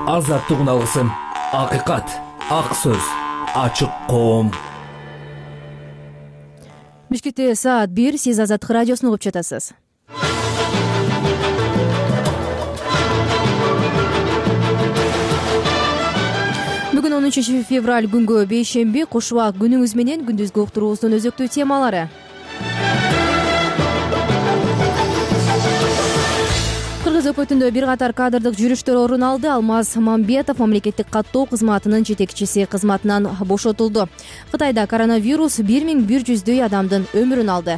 Азаттык алгысым, акыйкат, ак сөз, ачык коом. Бишкекте саат 1, сиз Азаттык радиосун угуп жатасыз. Бүгүн 13 февраль күнгө бейшемби, кош убак күнүңүз менен күндүзгү уктуруубуздун өзөктүү темалары. Кыргыз өкмөтүндө бир катар кадрдык жүрүштөр орун алды. Алмаз Мамбетов мамлекеттик каттоо кызматынын жетекчиси кызматынан бошотулду. Кытайда коронавирус 1100дөй адамдын өмүрүн алды.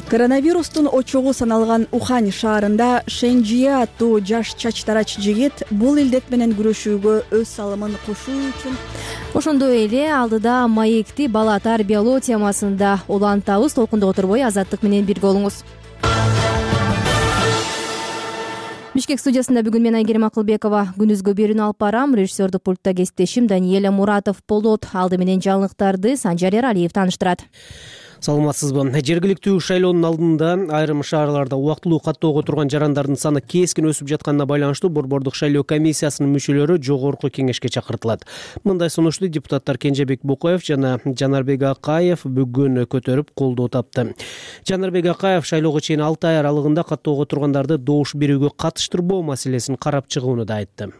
Коронавирустун очогу саналган Ухань шаарында Шенжие аттуу жаш чачтарач жигит бул илдет менен күрөшүүгө өз салымын кошуу үчүн Ошондой эле алдыда маекти бала тарбиялоо темасында улантабыз. Толкунда отурбой Азаттык менен бирге болуңуз. Бишкек студиясында бүгүн мен Айгерим Акылбекова күндүзгү берүүнү алып барам. Режиссердик пультта кесиптешим Даниэля Муратов болот. Алды менен жаңылыктарды Санжар Эралиев тааныштырат. Саламатсызбы. Жергиликтүү шайлоонун алдында айрым шаарларда убактылуу каттоого турган жарандардын саны кескин өсүп жатканына байланыштуу Борбордук шайлоо комиссиясынын мүчөлөрү жогорку кеңешке чакыртылат. Мындай сунушту депутаттар Кенжебек Букаев жана Жанарбек Акаев бүгүн көтөрүп колдоо тапты. Жанарбек Акаев шайлоого чейин 6 ай аралыгында каттоого тургандарды добуш берүүгө катыштырбоо маселесин карап чыгууну да айтты.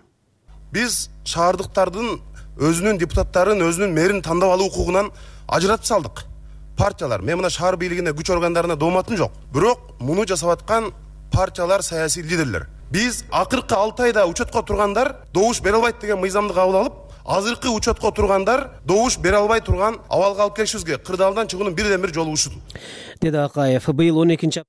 Биз шаардыктардын өзүнүн депутаттарын, өзүнүн мэрин тандап алуу укугунан ажыратып салдык. Партиялар, мен мына шаар бийлигине күч органдарына дооматым жок. Бирок муну жасап аткан партиялар, саясий лидерлер. Биз акыркы 6 айда учетко тургандар добуш бере албайт деген мыйзамды кабыл алып, азыркы учетко тургандар добуш бере албай турган абалга алып келишибизге кырдаалдан чыгуунун бирден бир жолу ушул. Деди Акаев. Быйыл 12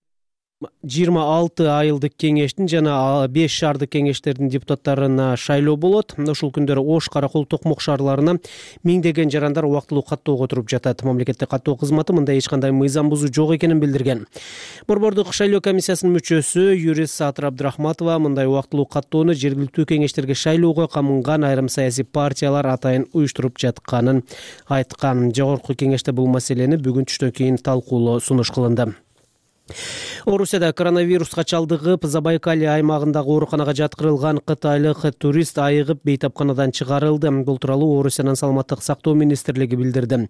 26 айылдык кеңештин жана 5 шаардык кеңештердин депутаттарына шайлоо болот. Ушул күндөрү Ош, Каракол, Токмок шаарларына миңдеген жарандар убактылуу каттоого туруп жатат. Мамлекеттик каттоо кызматы мындай эч кандай мыйзам бузуу жок экенин билдирген. Борбордук шайлоо комиссиясынын мүчөсү юрист Саатыр Абдрахматова мындай убактылуу каттоону жергиликтүү кеңештерге шайлоого камынган айрым саясий партиялар атайын уюштуруп жатканын айткан. Жогорку кеңеште бул маселени бүгүн түштөн кийин талкуулоо сунуш кылынды. Орусияда коронавируска чалдыгып, Забайкалье аймагындагы ооруканага жаткырылган кытайлык турист айыгып бейтапканадан чыгарылды. Бул тууралуу Орусиянын саламаттык сактоо министрлиги билдирди.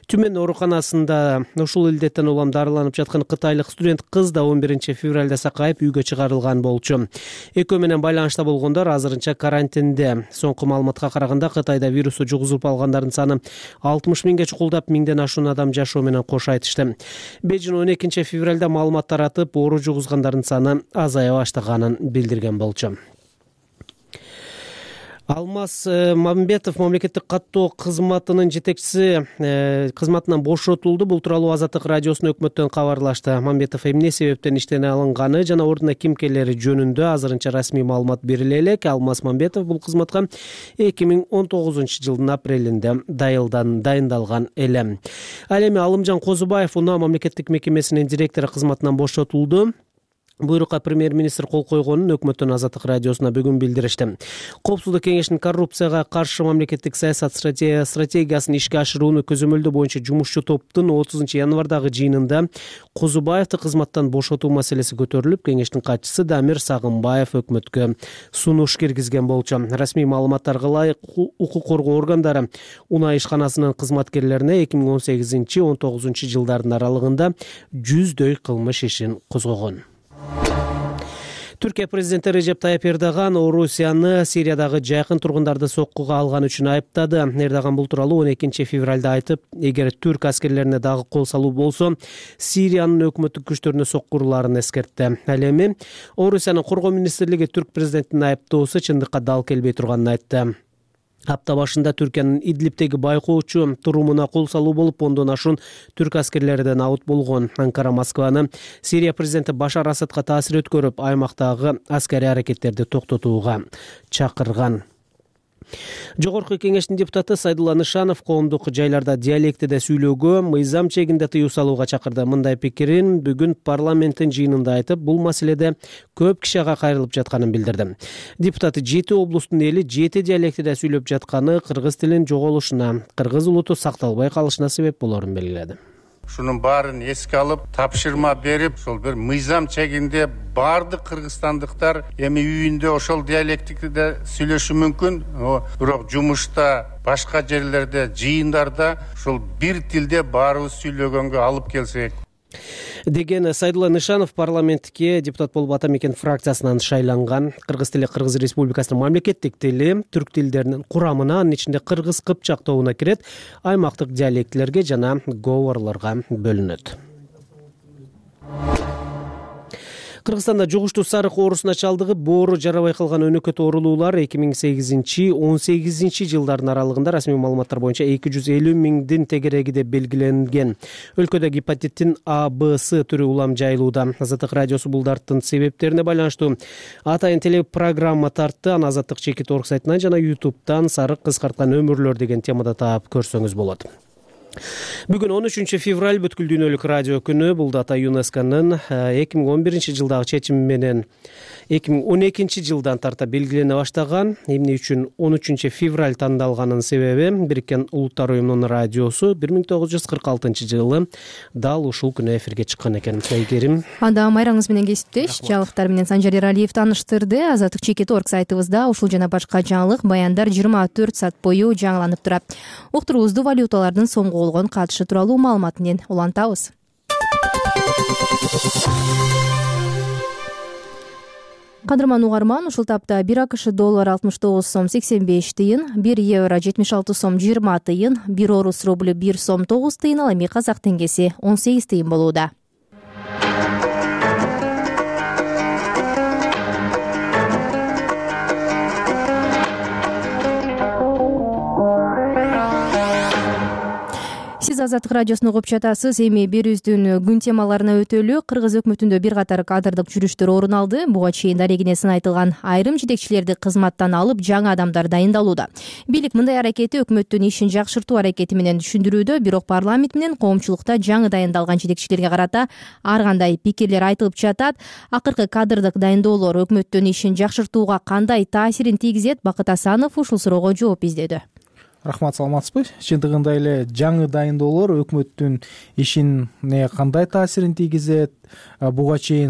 Түмөн ооруканасында ушул илдеттен улам дарыланып жаткан кытайлык студент кыз да 11 февралда сакайып үйгө чыгарылган болчу. Экөө менен байланышта болгондор азырынча карантинде. Соңку маалыматка караганда Кытайда вирусту жугузуп алгандардын саны 60 миңге чукулдап, 1000ден ашуун адам жашоо менен кош айтышты. Бейжин 12 февралда маалымат таратып, оору жугузгандардын саны азая баштаганын билдирген болчу. Алмаз Мамбетов мамлекеттик каттоо кызматынын жетекчиси кызматынан бошотулду. Бул тууралуу Азаттык радиосунун өкмөттөн кабарлашты. Мамбетов эмне себептен иштен алынганы жана ордуна ким келери жөнүндө азырынча расмий маалымат бериле элек. Алмаз Мамбетов бул кызматка 2019-жылдын апрелинде дайындалган эле. Ал эми Алымжан Козубаев Унаа мамлекеттик мекемесинин директору кызматынан бошотулду. Буйрукка премьер-министр кол койгонун өкмөттөн Азаттык радиосуна бүгүн билдиришти. Коопсуздук кеңешинин коррупцияга каршы мамлекеттик саясат стратегиясын ишке ашыруунун көзөмөлдөө боюнча жумушчу топтун 30 январдагы жыйынында Козубаевди кызматтан бошотуу маселеси көтөрүлүп, кеңештин катчысы Дамир Сагынбаев өкмөткө сунуш киргизген болчу. Расмий маалыматтарга ылайык укук коргоо органдары Унаа ишканасынын кызматкерлерине 2018-19 жылдардын аралыгында 100дөй кылмыш ишин козгогон. Түркия президенти Режеп Тайып Эрдоган Орусияны Сириядагы жайкын тургундарды соккуга алган үчүн айыптады. Эрдоган бул тууралуу 12 февралда айтып, эгер түрк аскерлерине дагы кол салуу болсо, Сириянын өкмөттүк күчтөрүнө соккуруларын эскертти. Ал эми Орусиянын коргоо министрлиги түрк президентинин айыптоосу чындыкка дал келбей турганын айтты. Апта башында Түркиянын Идлибтеги байкоочу турумуна кол салуу болуп, 10дон ашуун түрк аскерлериден аут болгон. Анкара Москваны Сирия президенти Башар Асадка таасир өткөрүп, аймактагы аскерий аракеттерди токтотууга чакырган. Жогорку кеңештин депутаты Сайдулла Нышанов коомдук жайларда диалектиде сүйлөөгө, мыйзам чегинде тыюу салууга чакырды. Мындай пикирин бүгүн парламенттин жыйынында айтып, бул маселеде көп киши ага кайрылып жатканын билдирди. Депутат 7 облустун эли 7 диалектиде сүйлөп жатканы кыргыз тилинин жоголушуна, кыргыз улуту сакталбай калышына себеп болорун белгиледи. ушунун баарын эске алып тапшырма берип, ошол бир мыйзам чегинде баардык кыргызстандыктар эми үйүндө ошол диалектикте сүйлөшү мүмкүн, бирок жумушта, башка жерлерде, жыйындарда ушул бир тилде баарыбыз сүйлөгөнгө алып келсек деген Сайдулла Нышанов парламентке депутат болуп Ата Мекен фракциясынан шайланган. Кыргыз тили Кыргыз Республикасынын мамлекеттик тили, түрк тилдеринин курамына, анын ичинде кыргыз кыпчак тобуна кирет, аймактык диалектилерге жана говорлорго бөлүнөт. Кыргызстанда жугуштуу сарык оорусуна чалдыгып, боору жарабай калган өнөкөт оорулуулар 2008-18 жылдардын аралыгында расмий маалыматтар боюнча 250 миңдин тегереги деп белгиленген. Өлкөдө гепатиттин А, Б, С түрү улам жайылууда. Азаттык радиосу бул дарттын себептерине байланыштуу атайын телепрограмма тартты. Аны Азаттык Чекит орг сайтынан жана YouTube'дан «Сарык кыскарткан өмүрлөр» деген темада таап көрсөңүз болот. Бүгүн 13 февраль бүткүл дүйнөлүк радио күнү. Бул дата ЮНЕСКОнун 2011 жылдагы чечими менен 2012 жылдан тарта белгилене баштаган. Эмне үчүн 13 февраль тандалганын себеби Бириккен Улуттар уюмунун радиосу 1946 жылы дал ушул күнү эфирге чыккан экен. Айгерим. Анда майраңыз менен кесиптеш жаңылыктар менен Санжар Эралиев тааныштырды. Азаттык Чекит орг сайтыбызда ушул жана башка жаңылык баяндар 24 саат бою жаңыланып турат. Уктуруубузду валюталардын сомго болгон катышы тууралуу маалымат менен улантабыз. Кадырман угарман, ушул тапта 1 АКШ доллар 69 сом 85 тыйын, 1 евро 76 сом 20 тыйын, 1 орус рубль 1 сом 9 тыйын, ал эми казак теңгеси 18 тыйын болууда. Сиз Азаттык радиосуну угуп жатасыз. Эми берүүбүздүн күн темаларына өтөлү. Кыргыз өкмөтүндө бир катар кадрдык жүрүштөр орун алды. Буга чейин дарегинесин айтылган айрым жетекчилерди кызматтан алып, жаңы адамдар дайындалууда. Бийлик мындай аракети өкмөттүн ишин жакшыртуу аракети менен түшүндүрүүдө, бирок парламент менен коомчулукта жаңы дайындалган жетекчилерге карата ар кандай пикирлер айтылып жатат. Акыркы кадрдык дайындоолор өкмөттүн ишин жакшыртууга кандай таасирин тийгизет? Бакыт Асанов ушул суроого жооп издеди. Рахмат, саламатсызбы? Чындыгында эле жаңы дайындоолор өкмөттүн ишине кандай таасирин тийгизет? Буга чейин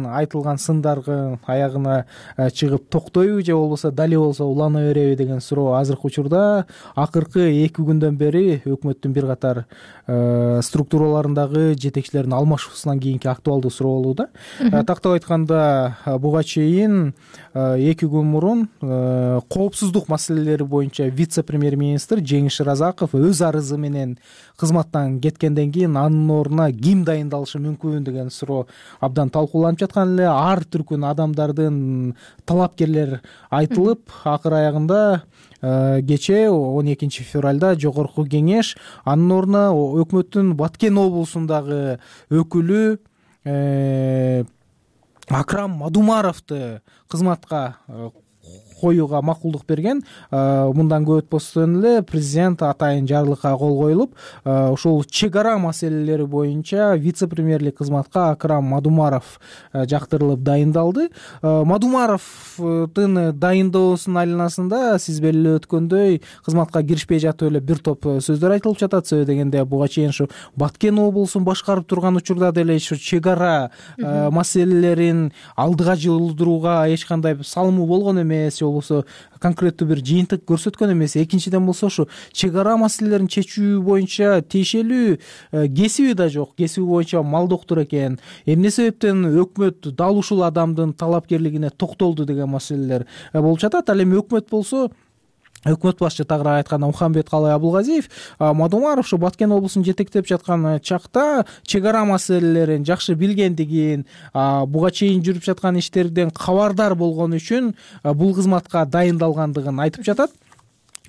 айтылган сындардын аягына чыгып токтойбу же болбосо дали болсо улана береби деген суроо азыркы учурда акыркы 2 күндөн бери өкмөттүн бир катар структураларындагы жетекчилердин алмашуусунан кийинки актуалдуу суроо болууда. Тактап айтканда, буга чейин 2 күн мурун коопсуздук маселелери боюнча вице-премьер-министр Жеңиш Шыразаков өз арызы менен кызматтан кеткенден кийин анын ордуна ким дайындалышы мүмкүн деген суроо абдан талкууланып жаткан эле. Ар түркүн адамдардын талапкерлер айтылып, акыр аягында кечээ 12 февралда жогорку кеңеш анын ордуна өкмөттүн Баткен облусундагы өкүлү Акрам Мадумаровду кызматка коюуга макулдук берген. Мындан көп өтпөстөн эле президент атайын жарлыкка кол коюлуп, ушул чек ара маселелери боюнча вице-премьерлик кызматка Акрам Мадумаров жактырылып дайындалды. Мадумаровдун дайындоосунун айланасында сиз белгилеп өткөндөй кызматка киришпей жатып эле бир топ сөздөр айтылып жатат. Себеби дегенде буга чейин ушу Баткен облусун башкарып турган учурда деле ушу чек ара маселелерин алдыга жылдырууга эч кандай салымы болгон эмес, болбосо конкреттүү бир жыйынтык көрсөткөн эмес. Экинчиден болсо ушу чек ара маселелерин чечүү боюнча тиешелүү кесиби да жок. Кесиби боюнча мал доктур экен. Эмне себептен өкмөт дал ушул адамдын талапкерлигине токтолду деген маселелер болуп жатат. Ал эми өкмөт болсо, өкмөт башчы тагыраак айтканда Мухамбет Калай Абулгазиев Мадумаров ушу Баткен облусун жетектеп жаткан чакта чек ара маселелерин жакшы билгендигин, буга чейин жүрүп жаткан иштерден кабардар болгон үчүн бул кызматка дайындалгандыгын айтып жатат.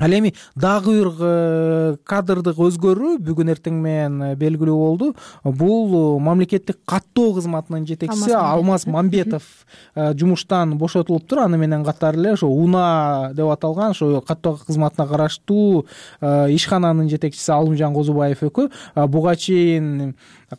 Ал эми дагы бир кадрдык өзгөрүү бүгүн эртең менен белгилүү болду. Бул мамлекеттик каттоо кызматынын жетекчиси Алмаз Мамбетов жумуштан бошотулуптур. Аны менен катар эле ошо УНА деп аталган ошо каттоо кызматына караштуу ишкананын жетекчиси Алымжан Козубаев экөө. Буга чейин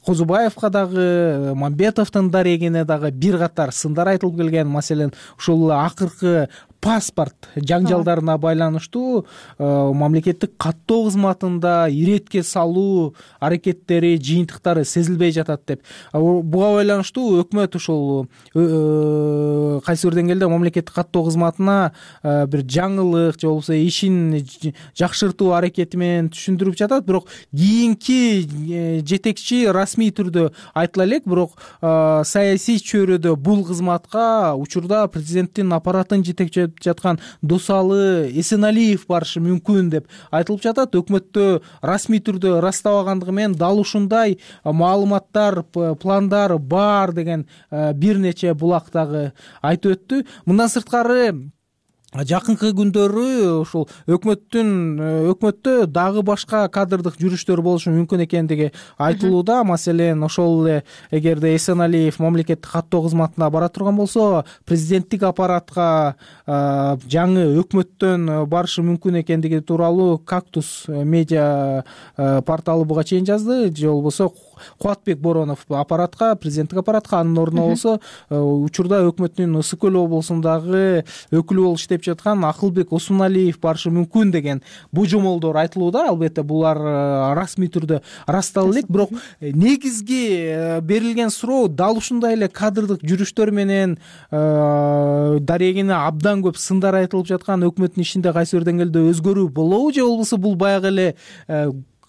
Козубаевка дагы Мамбетовдун дарегине дагы бир катар сындар айтылып келген. Маселен, ушул акыркы паспорт жаңжалдарына байланыштуу мамлекеттик каттоо кызматында иретке салуу аракеттери, жыйынтыктары сезилбей жатат деп. Буга байланыштуу өкмөт ушул кайсы бир деңгээлде мамлекеттик каттоо кызматына бир жаңылык же болбосо ишин жакшыртуу аракети менен түшүндүрүп жатат. Бирок кийинки жетекчи расмий түрдө айтыла элек, бирок саясий чөйрөдө бул кызматка учурда президенттин аппаратын жетектеп жаткан Досалы Эсеналиев барышы мүмкүн деп айтылып жатат. Өкмөттө расмий түрдө ырастабагандыгы менен дал ушундай маалыматтар, пландар бар деген бир нече булактагы айтып өттү. Мындан сырткары жакынкы күндөрү ушул өкмөттө дагы башка кадрдык жүрүштөр болушу мүмкүн экендиги айтылууда. Маселен, ошол эле эгерде Эсеналиев мамлекеттик каттоо кызматына бара турган болсо, президенттик аппаратка жаңы өкмөттөн барышы мүмкүн экендиги тууралуу Кактус медиа порталы буга чейин жазды. Же болбосо Кубатбек Боронов президенттик аппаратка, анын ордуна болсо учурда өкмөттүн Ысык Көл облусундагы өкүлү болуп иштеп жаткан Акылбек Осмоналиев барышы мүмкүн деген божомолдор айтылууда. Албетте булар расмий түрдө ырастала элек, бирок негизги берилген суроо дал ушундай эле кадрдык жүрүштөр менен дарегине абдан көп сындар айтылып жаткан өкмөттүн ишинде кайсы бир деңгээлде өзгөрүү болобу, же болбосо бул баягы эле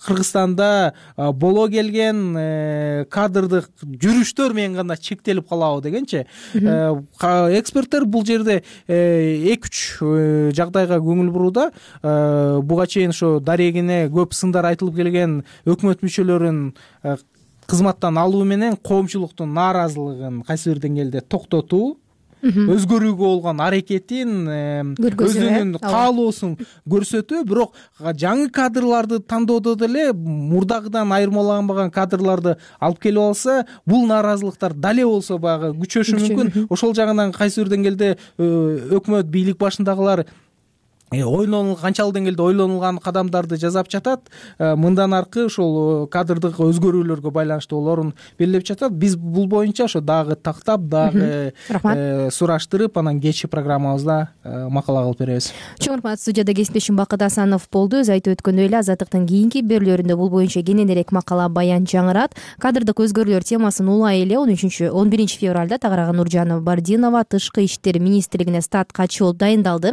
Кыргызстанда боло келген кадрдык жүрүштөр менен гана чектелип калабы дегенчи. Эксперттер бул жерде 2-3 жагдайга көңүл бурууда. Буга чейин ошо дарегине көп сындар айтылып келген өкмөт мүчөлөрүн кызматтан алуу менен коомчулуктун нааразылыгын кайсы бир деңгээлде токтотуу, өзгөрүүгө болгон аракетин, өзүнүн каалоосун көрсөтүү. Бирок жаңы кадрларды тандоодо деле мурдагыдан айырмаланбаган кадрларды алып келип алса, бул нааразылыктар дале болсо баягы күчөшү мүмкүн. Ошол жагынан кайсы бир деңгээлде өкмөт бийлик башындагылар канчалык деңгээлде ойлонулган кадамдарды жасап жатат. Мындан аркы ошол кадрдык өзгөрүүлөргө байланыштуу олорун белгилеп жатат. Биз бул боюнча ошо дагы тактап, дагы сураштырып, анан кечки программабызда макала кылып беребиз. Чоң рахмат. Студияда кесиптешим Бакыт Асанов болду. Өз айтып өткөндөй эле Азаттыктын кийинки берүүлөрүндө бул боюнча кененирээк макала, баян жаңырат. Кадрдык өзгөрүүлөр темасын улай эле 11 февралда Тагырага Нуржан Бардинова Тышкы иштер министрлигине стат катчы болуп дайындалды.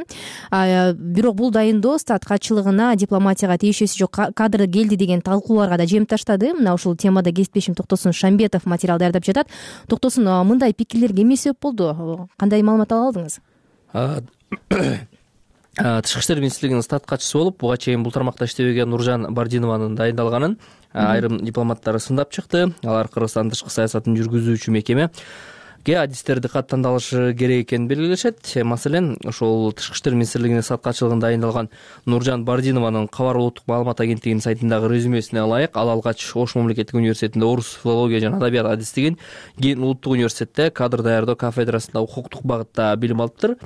Бирок бул дайындоо стат катчылыгына дипломатияга тиешеси жок кадр келди деген талкууларга да жем таштады. Мына ушул темада кесиптешим Токтосун Шамбетов материал даярдап жатат. Токтосун, мындай пикирлерге эмне себеп болду? Кандай маалымат ала алдыңыз? Тышкы иштер министрлигинин стат катчысы болуп, буга чейин бул тармакта иштебеген Нуржан Бардинованын дайындалганын айрым дипломаттар сындап чыкты. Алар Кыргызстандын тышкы саясатын жүргүзүүчү мекеме адистерди каттандалышы керек экенин белгилешет. Маселен, ошол Тышкы иштер министрлигинин стат катчылыгында дайындалган Нуржан Бардинованын Кабар улуттук маалымат агенттигинин сайтындагы резюмесине ылайык, ал алгач Ош мамлекеттик университетинде орус филология жана адабият адистигин, кийин Улуттук университетте кадр даярдоо кафедрасында укуктук багытта билим алыптыр.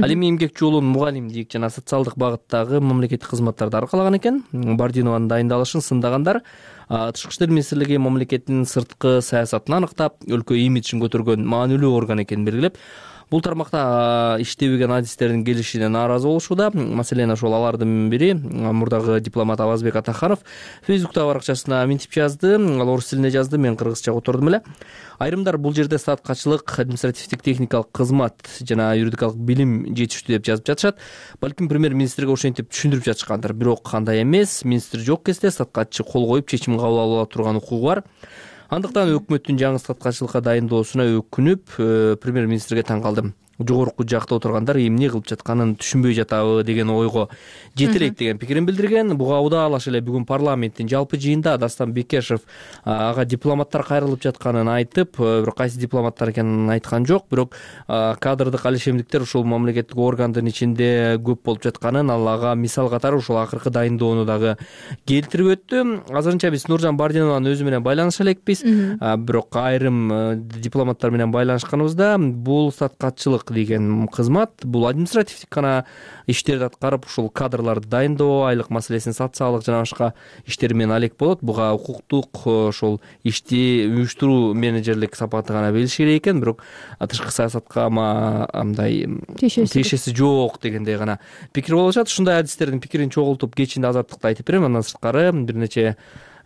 Ал эми эмгек жолун мугалимдик жана социалдык багыттагы мамлекеттик кызматтарды аркалаган экен. Бардинованын дайындалышын сындаган Тышкы иштер министрлиги мамлекеттин сырткы саясатын аныктап, өлкө имиджин көтөргөн маанилүү орган экенин белгилеп, бул тармакта иштебеген адистердин келишине нааразы болушууда. Маселен, ошол алардын бири мурдагы дипломат Абазбек Атаханов Фейсбуктагы баракчасына минтип жазды. Ал орус тилинде жазды, мен кыргызча котордум эле. Айрымдар бул жерде стат катчылык, административдик техникалык кызмат жана юридикалык билим жетиштүү деп жазып жатышат. Балким премьер-министрге ошентип түшүндүрүп жатышкандыр. Бирок кандай эмес, министр жок кезде стат катчы кол коюп чечим кабыл ала турган укугу бар. Андыктан өкмөттүн жаңы стат катчылыкка дайындоосуна өкүнүп, премьер-министрге таң калдым. Жогорку жакта отургандар эмне кылып жатканын түшүнбөй жатабы деген ойго жетелейт деген пикирин билдирген. Буга удаалаш эле бүгүн парламенттин жалпы жыйынында Дастан Бекешев ага дипломаттар кайрылып жатканын айтып, бирок кайсы дипломаттар экенин айткан жок. Бирок кадрдык алишемдиктер ушул мамлекеттик органдын ичинде көп болуп жатканын, ал ага мисал катары ушул акыркы дайындоону дагы келтирип өттү. Азырынча биз Нуржан Бардинованын өзү менен байланыша элекпиз. Бирок айрым дипломаттар менен байланышканыбызда бул стат катчылык социалдык деген кызмат бул административдик гана иштерди аткарып ушул кадрларды дайындоо, айлык маселесин, социалдык жана башка иштер менен алек болот. Буга укуктук ошол ишти уюштуруу менеджерлик сапаты гана берилиш керек экен, бирок тышкы саясатка мындай тиешеси жок дегендей гана пикир болуп атат. Ушундай адистердин пикирин чогултуп кечинде Азаттыкта айтып берем. Андан сырткары бир нече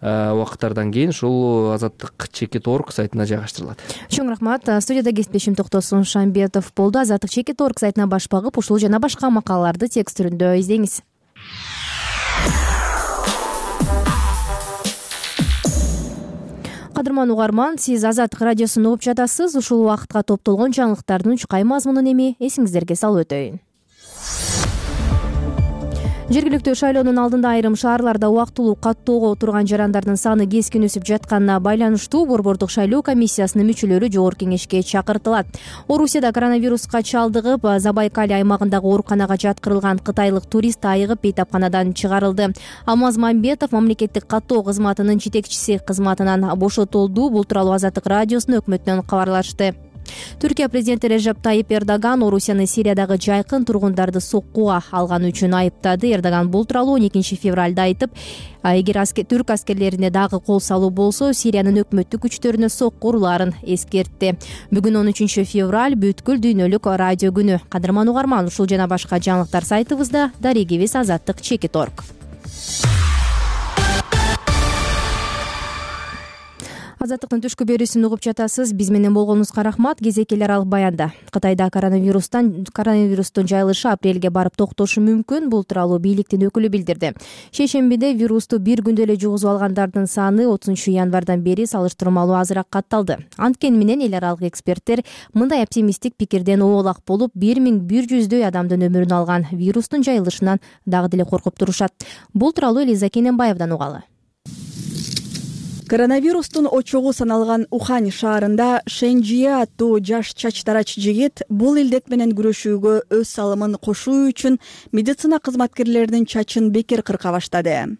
убакыттардан кийин ушул Азаттык чекит орг сайтына жайгаштырылат. Чоң рахмат. Студияда кесиптешим Токтосун Шамбетов болду. Азаттык чекит орг сайтына баш багып, ушул жана башка макалаларды текст түрүндө издеңиз. Кадырман угарман, сиз Азаттык радиосун угуп жатасыз. Ушул убакытка топтолгон жаңылыктардын чукай мазмунун эми эсиңиздерге салып өтөйүн. Жергиликтүү шайлоонун алдында айрым шаарларда убактылуу каттоого турган жарандардын саны кескин өсүп жатканына байланыштуу Борбордук шайлоо комиссиясынын мүчөлөрү жогорку кеңешке чакыртылат. Орусияда коронавируска чалдыгып, Забайкалье аймагындагы ооруканага жаткырылган кытайлык турист айыгып бейтапканадан чыгарылды. Алмаз Мамбетов мамлекеттик каттоо кызматынын жетекчиси кызматынан бошотулду. Бул тууралуу Азаттык радиосунун өкмөтүнөн кабарлашты. Түркия президенти Режеп Тайип Эрдоган Орусияны Сириядагы жайкын тургундарды соккуга алганы үчүн айыптады. Эрдоган бул тууралуу 12 февралда айтып, эгер түрк аскерлерине дагы кол салуу болсо, Сириянын өкмөттүк күчтөрүнө сокку урулаарын эскертти. Бүгүн 13 февраль бүткүл дүйнөлүк радио күнү. Кадырман угарман, ушул жана башка жаңылыктар сайтыбызда, дарегибиз Азаттык чекит орг. Азаттыктын түшкү берүүсүн угуп жатасыз. Биз менен болгонуңузга рахмат. Кезекел аралык баянда Кытайда коронавирустун жайылышы апрелге барып токтошу мүмкүн. Бул тууралуу бийликтин өкүлү билдирди. Шейшембиде вирусту бир күндө эле жугузуп алгандардын саны 30 январдан бери салыштырмалуу азыраак катталды. Анткени менен эл аралык эксперттер мындай оптимисттик пикирден оолак болуп, 1100дөй адамдын өмүрүн алган вирустун жайылышынан дагы деле коркуп турушат. Бул тууралуу Элиза Кененбаевдан угалы. Коронавирустун очогу саналган Ухань шаарында Шэньжие аттуу жаш чачтарач жигит бул илдет менен күрөшүүгө өз салымын кошуу үчүн медицина кызматкерлеринин чачын бекер кырка баштады.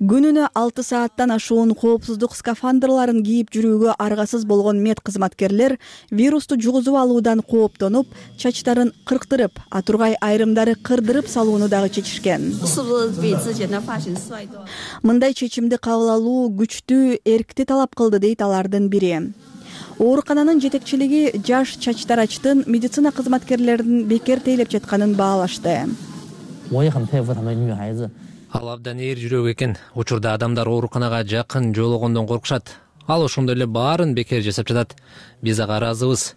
Күнүнө 6 сааттан ашуун коопсуздук скафандрларын кийип жүрүүгө аргасыз болгон мед кызматкерлер вирусту жугузуп алуудан кооптонуп, чачтарын кырктырып, тургай айрымдары кырдырып салууну дагы чечишкен. Мындай чечимди кабыл алуу күчтүү эркти талап кылды, дейт алардын бири. Оорукананын жетекчилиги жаш чачтарачтын медицина кызматкерлеринин бекер тейлеп жатканын баалашты. Ал абдан эр жүрөк экен. Учурда адамдар ооруканага жакын жоологондон коркушат. Ал ошондой эле баарын бекер жасап жатат. Биз ага ыраазыбыз.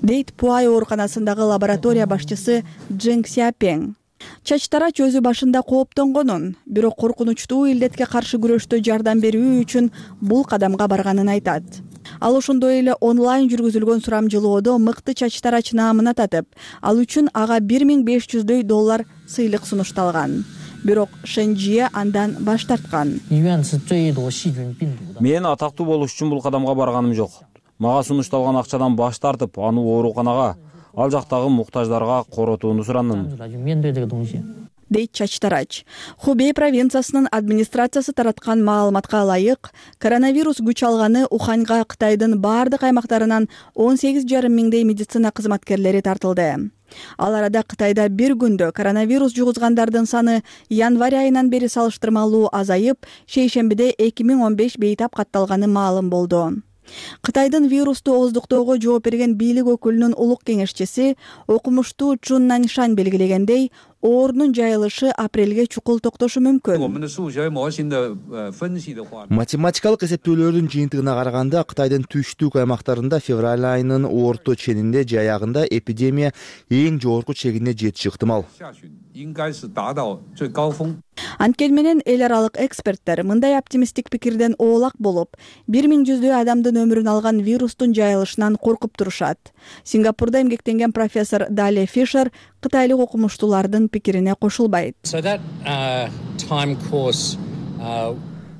Дейт Пуай ооруканасындагы лаборатория башчысы Джен Ксяпең. Чачтарач өзү башында кооптонгонун, бирок коркунучтуу илдетке каршы күрөштө жардам берүү үчүн бул кадамга барганын айтат. Ал ошондой эле онлайн жүргүзүлгөн сурамжылоодо мыкты чачтарач наамын ататып, ал үчүн ага $1500 сыйлык сунушталган. Бирок Шэньжие андан баш тарткан. Мен атактуу болуш үчүн бул кадамга барганым жок. Мага сунушталган акчадан баш тартып, аны ооруканага, ал жактагы муктаждарга коротууну сурандым. Дейт чачтарач. Хубей провинциясынын администрациясы тараткан маалыматка ылайык, коронавирус күч алганы Уханьга Кытайдын бардык аймактарынан 18,5 миңдей медицина кызматкерлери тартылды. Ал арада Кытайда бир күндө коронавирус жугузгандардын саны январь айынан бери салыштырмалуу азайып, шейшембиде 2015 бейтап катталганы маалым болду. Кытайдын вирусту ооздуктоого жооп берген бийлик өкүлүнүн улук кеңешчиси окумуштуу Чун Наньшань белгилегендей, оорунун жайылышы апрелге чукул токтошу мүмкүн. Математикалык эсептөөлөрдүн жыйынтыгына караганда, Кытайдын түштүк аймактарында февраль айынын орто ченинде же аягында эпидемия эң жогорку чегине жетиши ыктымал. Анткени менен эл аралык эксперттер мындай оптимисттик пикирден оолак болуп, 1100дөй адамдын өмүрүн алган вирустун жайылышынан коркуп турушат. Сингапурда эмгектенген профессор Далия Фишер кытайлык окумуштуулардын пикирине кошулбайт.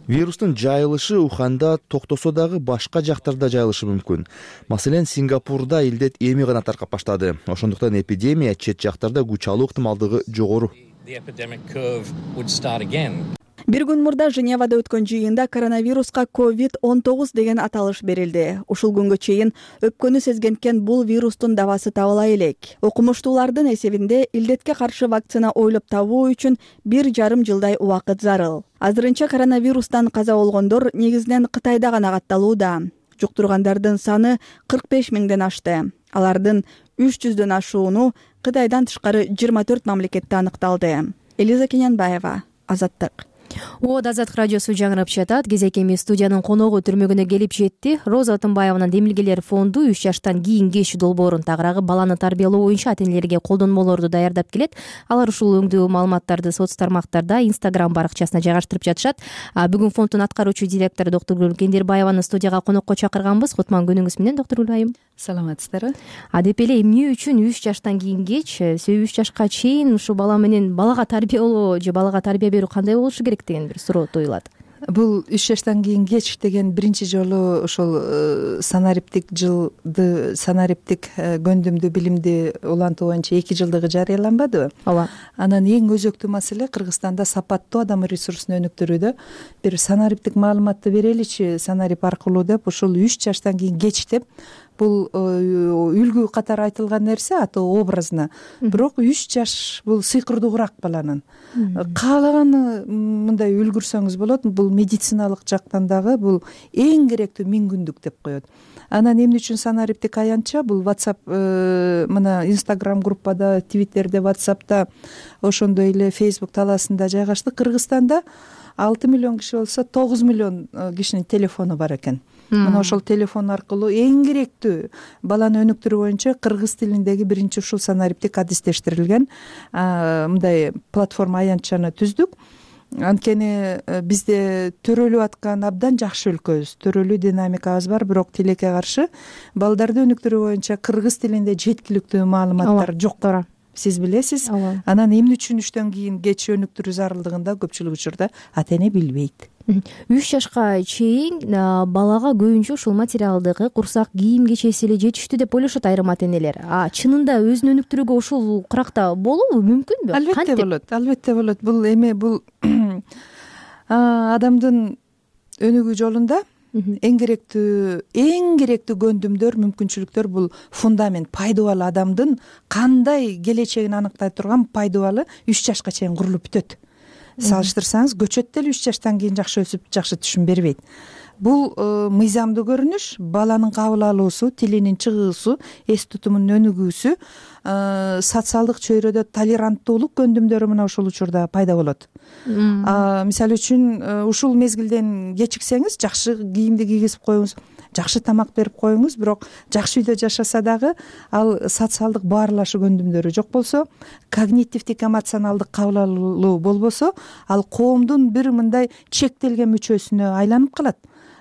Вирустун жайылышы Уханда токтосо дагы башка жактарда жайылышы мүмкүн. Маселен, Сингапурда илдет эми гана таркап баштады. Ошондуктан эпидемия чет жактарда күч алуу ыктымалдыгы жогору. Бир күн мурда Женевада өткөн жыйында коронавируска COVID-19 деген аталыш берилди. Ушул күнгө чейин өпкөнү сезгенткен бул вирустун дабасы табыла элек. Окумуштуулардын эсебинде илдетке каршы вакцина ойлоп табуу үчүн 1,5 жылдай убакыт зарыл. Азырынча коронавирустан каза болгондор негизинен Кытайда гана катталууда. Жуктургандардын саны 45 миңден ашты. Алардын 300дөн ашууну Кытайдан тышкары 24 мамлекетте аныкталды. Элиза Кененбаева, Азаттык. Азаттык радиосу жаңырап жатат. Кезекеми студиянын коногу түрмөгүнө келип жетти. Роза Атымбаеванын Демилгелер фонду 3 жаштан кийинки долбоорун тагыраагы баланы тарбиялоо боюнча ата-энелерге колдонмолорду даярдап келет. Алар ушул өңдүү маалыматтарды соц тармактарда, Instagram баракчасына жайгаштырып жатышат. Бүгүн фонддун аткаруучу директору доктор Гүлайым Кендирбаеваны студияга конокко чакырганбыз. Кутман күнүңүз менен, доктор Гүлайым. Саламатсыздарбы? Деп эле эмне үчүн 3 жаштан кийингеч, 3 жашка чейин ушул бала менен балага тарбиялоо же балага тарбия берүү кандай болушу керек деген бир суроо туюлат. Бул 3 жаштан кийингеч деген биринчи жолу ошол санариптик жылды, санариптик көндүмдү билимди улантуу боюнча 2 жылдыгы жарыяланбадыбы? Ооба. Анан эң өзөктүү маселе Кыргызстанда сапаттуу адам ресурсун өнүктүрүүдө бир санариптик маалыматты береличи санарип аркылуу деп ушул 3 жаштан кийингеч деп бул үлгү катары айтылган нерсе аты образна. Бирок 3 жаш бул сыйкырдуураак баланын. Каалаганы мындай үлгүрсөңүз болот. Бул медициналык жактан дагы бул эң керектүү 1000 күндүк деп коет. Анан эмне үчүн санариптик аянтча бул WhatsApp мына Instagram группада, Twitterде, WhatsApp'та, ошондой эле Facebook талаасында жайгаштык. Кыргызстанда 6 миллион киши болсо 9 миллион кишинин телефону бар экен. Мына ошол телефон аркылуу эң керектүү баланы өнүктүрүү боюнча кыргыз тилиндеги биринчи ушул санариптик адистештирилген мындай платформа аянтчаны түздүк. Анткени бизде төрөлүп аткан абдан жакшы өлкөбүз, төрөлүү динамикабыз бар, бирок тилекке каршы балдарды өнүктүрүү боюнча кыргыз тилинде жеткиликтүү маалыматтар жок. Сиз билесиз. Анан эмне үчүн 3төн кийин кеч өнүктүрүү зарылдыгында көпчүлүк учурда ата-эне билбейт. 3 жашка чейин балага көбүнчө ушул материалдык курсак кийим кечеси эле жетиштүү деп ойлошот айрым ата-энелер. Чынында өзүн өнүктүрүүгө ушул кыракта болобу, мүмкүнбү? Албетте болот, албетте болот. Бул эми бул адамдын өнүгүү жолунда эң керектүү көндүмдөр, мүмкүнчүлүктөр бул фундамент, пайдубал адамдын кандай келечегин аныктай турган пайдубалы 3 жашка чейин курулуп бүтөт. Салыштырсаңыз, көчөт деле 3 жаштан кийин жакшы өсүп, жакшы түшүм бербейт. Бул мыйзамдуу көрүнүш, баланын кабыл алуусу, тилинин чыгуусу, эс тутумунун өнүгүүсү, социалдык чөйрөдө толеранттуулук көндүмдөрү мына ушул учурда пайда болот. Мисалы үчүн ушул мезгилден кечиксеңиз, жакшы кийимди кийгизип коюңуз, жакшы тамак берип коюңуз, бирок жакшы үйдө жашаса дагы ал социалдык баарлашуу көндүмдөрү жок болсо, когнитивдик эмоционалдык кабыл алуу болбосо, ал коомдун бир мындай чектелген мүчөсүнө айланып калат.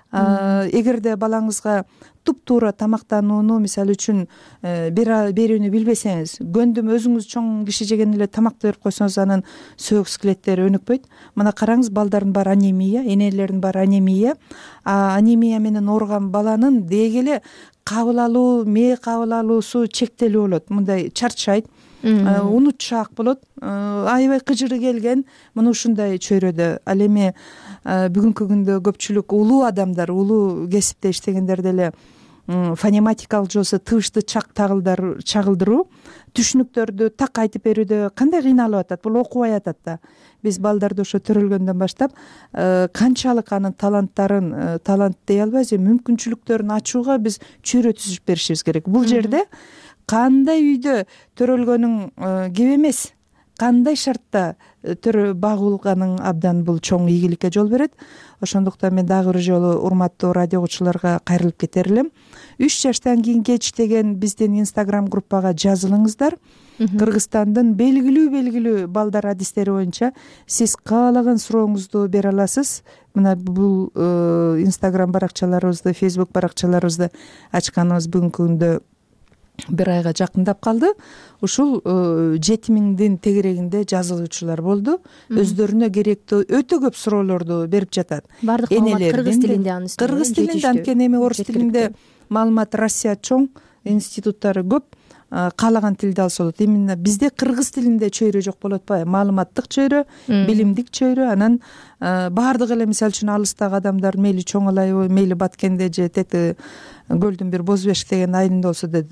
Эгерде балаңызга туп-туура тамактанууну, мисалы үчүн берүүнү билбесеңиз, көндүм өзүңүз чоң киши жеген эле тамакты берип койсоңуз, анын сөөк скелеттери өнүкпөйт. Мына караңыз, балдардын баары анемия, энелердин баары анемия. Анемия менен ооруган баланын деги эле кабыл алуу, мээ кабыл алуусу чектелүү болот. Мындай чарчайт, унутчаак болот, аябай кыжыры келген, мына ушундай чөйрөдө. Ал эми бүгүнкү күндө көпчүлүк улуу адамдар, улуу кесипте иштегендер деле фонематикалык жоосу тыбышты чагылдыруу, түшүнүктөрдү так айтып берүүдө кандай кыйналып атат, бул окубай атат да. Биз балдарды ошо төрөлгөндөн баштап канчалык анын таланттарын, талант дей албайбыз, мүмкүнчүлүктөрүн ачууга биз чөйрө түзүп беришибиз керек. Бул жерде кандай үйдө төрөлгөнүң кеп эмес, кандай шартта багуулганың абдан бул чоң ийгиликке жол берет. Ошондуктан мен дагы бир жолу урматтуу радио угуучуларга кайрылып кетер элем. 3 жаштан кийин кеч деген биздин Instagram группага жазылыңыздар. Кыргызстандын белгилүү балдар адистери боюнча сиз каалаган сурооңузду бере аласыз. Мына бул Instagram баракчаларыбызды, Facebook баракчаларыбызды ачканыбыз бүгүнкү күндө бир айга жакындап калды. Ушул 7000дин тегерегинде жазылуучулар болду. Өздөрүнө керектүү өтө көп суроолорду берип жатат. Бардык маалымат кыргыз тилинде анын үстүнө. Кыргыз тилинде, анткени эми орус тилинде маалымат Россия чоң, институттары көп. каалаган тилде алса болот. Именно бизде кыргыз тилинде чөйрө жок болуп атпайбы, маалыматтык чөйрө, билимдик чөйрө. Анан баардык эле мисалы үчүн алыстагы адамдар мейли чоң алайбы, мейли Баткенде же тети көлдүн бир Боз Бешик деген айылында болсо да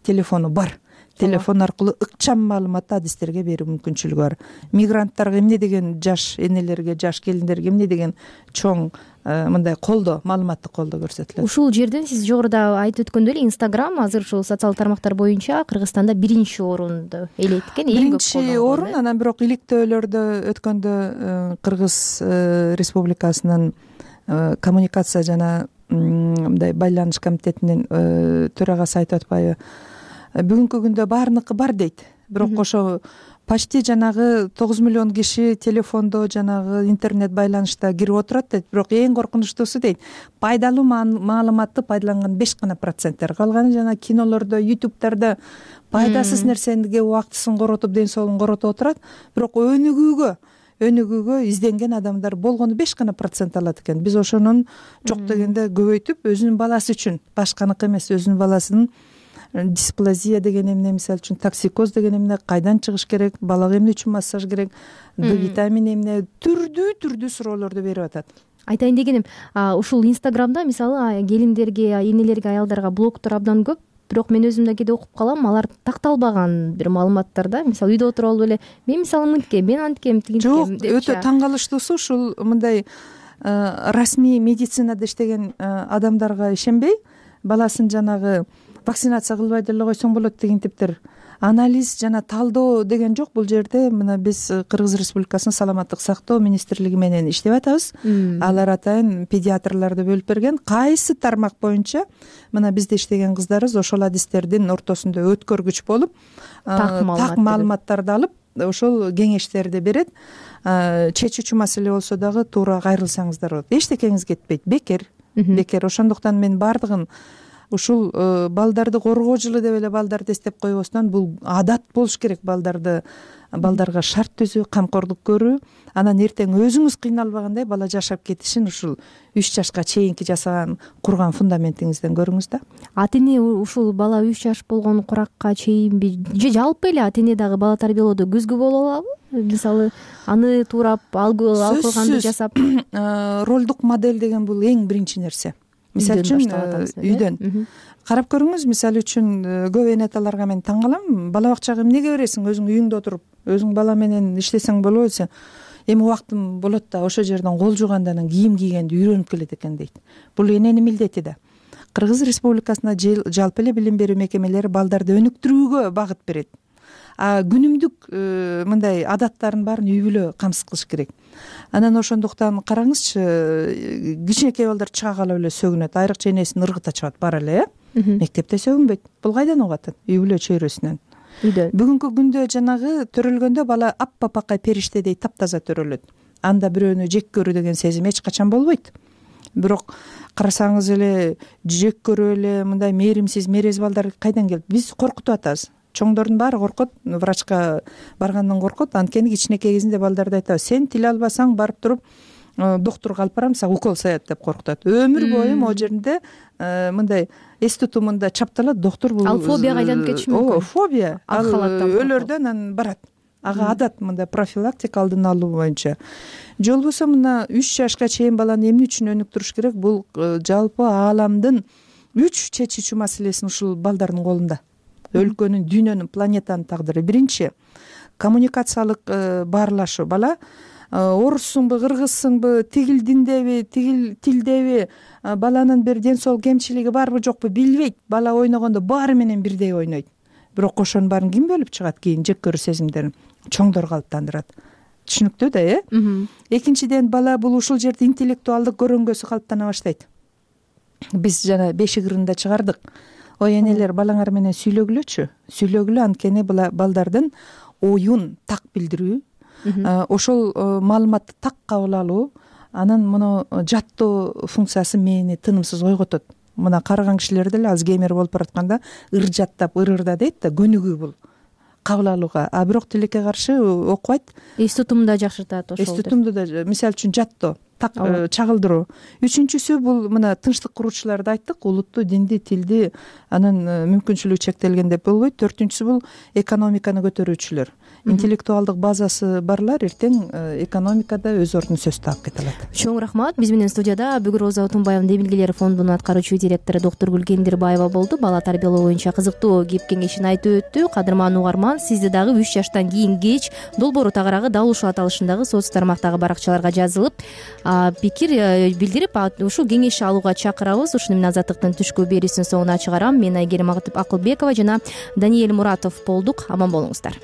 телефону бар. Телефон аркылуу ыкчам маалыматты адистерге берүү мүмкүнчүлүгү бар. Мигранттарга эмне деген жаш энелерге, жаш келиндерге эмне деген чоң мындай колдоо, маалыматтык колдоо көрсөтүлөт. Ушул жерден сиз жогоруда айтып өткөндөй эле Instagram азыр ушул социалдык тармактар боюнча Кыргызстанда 1-орунду ээлейт экен. Биринчи орун. Анан бирок иликтөөлөрдө өткөндө Кыргыз Республикасынын коммуникация жана мындай байланыш комитетинин төрагасы айтып атпайбы, бүгүнкү күндө баарыныкы бар дейт. Бирок ошо почти жанагы 9 миллион киши телефондо жанагы интернет байланышта кирип отурат дейт. Бирок эң коркунучтуусу дейт, пайдалуу маалыматты пайдаланган 5%. Калганы жана кинолордо, ютубтарда пайдасыз нерсеге убактысын коротуп, ден соолугун коротуп отурат. Бирок өнүгүүгө изденген адамдар болгону 5% алат экен. Биз ошонун жок дегенде көбөйтүп, өзүнүн баласы үчүн, башканыкы эмес, өзүнүн баласынын дисплазия деген эмне, мисалы үчүн токсикоз деген эмне, кайдан чыгыш керек, балага эмне үчүн массаж керек, Д витамини эмне, түрдүү суроолорду берип атат. Айтайын дегеним, ушул Инстаграмда мисалы келиндерге, энелерге, аялдарга блогтор абдан көп. Бирок мен өзүм да кээде окуп калам, алар такталбаган бир маалыматтарда. Мисалы үйдө отуруп алып эле мен мисалы мынткем, мен анткем, тигинткем деп. Жок, өтө таң калыштуусу ушул мындай расмий медицинада иштеген адамдарга ишенбей, баласын жанагы вакцинация кылбай деле койсоң болот деген типтер. Анализ жана талдоо деген жок бул жерде. Мына биз Кыргыз Республикасынын саламаттык сактоо министрлиги менен иштеп атабыз. Алар атайын педиатрларды бөлүп берген. Кайсы тармак боюнча мына бизде иштеген кыздарыбыз ошол адистердин ортосунда өткөргүч болуп, так маалыматтарды алып, ошол кеңештерди берет. Чечүүчү маселе болсо дагы туура кайрылсаңыздар болот. Эчтекеңиз кетпейт, бекер. Ошондуктан мен баардыгын ушул балдарды коргоо жылы деп эле балдарды эстеп койбостон, бул адат болуш керек. Балдарга шарт түзүү, камкордук көрүү, анан эртең өзүңүз кыйналбагандай бала жашап кетишин ушул 3 жашка чейинки жасаган, курган фундаментиңизден көрүңүз да. Ата эне ушул бала 3 жаш болгон куракка чейинби же жалпы эле ата эне дагы бала тарбиялоодо көзгө боло алабы? Мисалы, аны туурап алгылганды жасап. Ролдук модель деген бул эң биринчи нерсе. Мисалы үчүн үйдөн карап көрүңүз. Мисалы үчүн көп эне аталарга мен таң калам. Бала бакчага эмнеге бересиң? Өзүң үйүңдө отуруп, өзүң бала менен иштесең болобу десе, эми убактым болот да ошол жерден кол жуугандан анан кийим кийгенди үйрөнүп келет экен дейт. Бул эненин милдети да. Кыргыз Республикасында жалпы эле билим берүү мекемелери балдарды өнүктүрүүгө багыт берет. Күнүмдүк мындай адаттарын баарын үй бүлө камсыз кылыш керек. Анан ошондуктан караңызчы, кичинекей балдар чыга калып эле сөгүнөт, айрыкча энесин ыргыта чыгат, бара эле, мектепте сөгүнбөйт. Бул кайдан угуп атат? Үй бүлө чөйрөсүнөн. Бүгүнкү күндө жанагы төрөлгөндө бала аппапакай периштедей таптаза төрөлөт. Анда бирөөнү жек көрүү деген сезим эч качан болбойт. Бирок карасаңыз эле жек көрүп эле мындай мээримсиз, мерез балдар кайдан келди? Биз коркутуп атабыз. Чоңдордун баары коркот, врачка баргандан коркот. Анткени кичинекей кезинде балдарды айтабыз, сен тил албасаң барып туруп доктурга алып барам, сага укол саят деп коркутат. Өмүр бою могу жеринде мындай эс тутумунда чапталат, доктур бул. Ал фобияга айланып кетиши мүмкүн. Фобия. Ал өлөрдөн анан барат. Ага адат мындай профилактика алдын алуу боюнча. Же болбосо мына 3 жашка чейин баланы эмне үчүн өнүктүрүш керек? Бул жалпы ааламдын 3 чечүүчү маселесин ушул балдардын колунда. Өлкөнүн, дүйнөнүн, планетанын тагдыры. Биринчи коммуникациялык баарлашуу. Бала оруссуңбу, кыргызсыңбы, тигил диндеби, тигил тилдеби, баланын бир ден соолук кемчилиги барбы жокпу билбейт. Бала ойногондо баары менен бирдей ойнойт. Бирок ошонун баарын ким бөлүп чыгат? Кийин жек көрүү сезимдерин чоңдор калыптандырат. Түшүнүктүү да, Экинчиден, бала бул ушул жерде интеллектуалдык көрөңгөсү калыптана баштайт. Биз жана бешик ырында чыгардык. Ой энелер, балаңар менен сүйлөгүлө, анткени балдардын оюн так билдирүү, ошол маалыматты так кабыл алуу, анан муну жаттоо функциясы мээни тынымсыз ойготот. Мына караган кишилер деле Альцгеймер болуп баратканда ыр жаттап, ырырда дейт да, көнүгүү бул кабыл алууга. Бирок тилекке каршы окубайт. Эс тутумду да жакшыртат ошол. Эс тутумду да, мисалы үчүн жаттоо, чагылдыруу. Үчүнчүсү бул мына тынчтык куруучуларды айттык, улутту, динди, тилди, анын мүмкүнчүлүгү чектелген деп болбойт. Төртүнчүсү бул экономиканы көтөрүүчүлөр. Интеллектуалдык базасы барлар эртең экономикада өз ордун сөз таап кете алат. Чоң рахмат. Биз менен студияда Бүгүр Роза Отунбаеванын Демилгелер фондунун аткаруучу директору доктор Гүлгендирбаева болду. Бала тарбиялоо боюнча кызыктуу кеп кеңешин айтып өттү. Кадырман угарман, сизди дагы 3 жаштан кийин кеч долбоору тагыраагы дал ушул аталышындагы соц тармактагы баракчаларга жазылып пикир билдирип ушул кеңеш алууга чакырабыз. Ушуну мен Азаттыктын түшкү берүүсүнүн соңуна чыгарам. Мен Айгерим Акылбекова жана Даниэль Муратов болдук. Аман болуңуздар.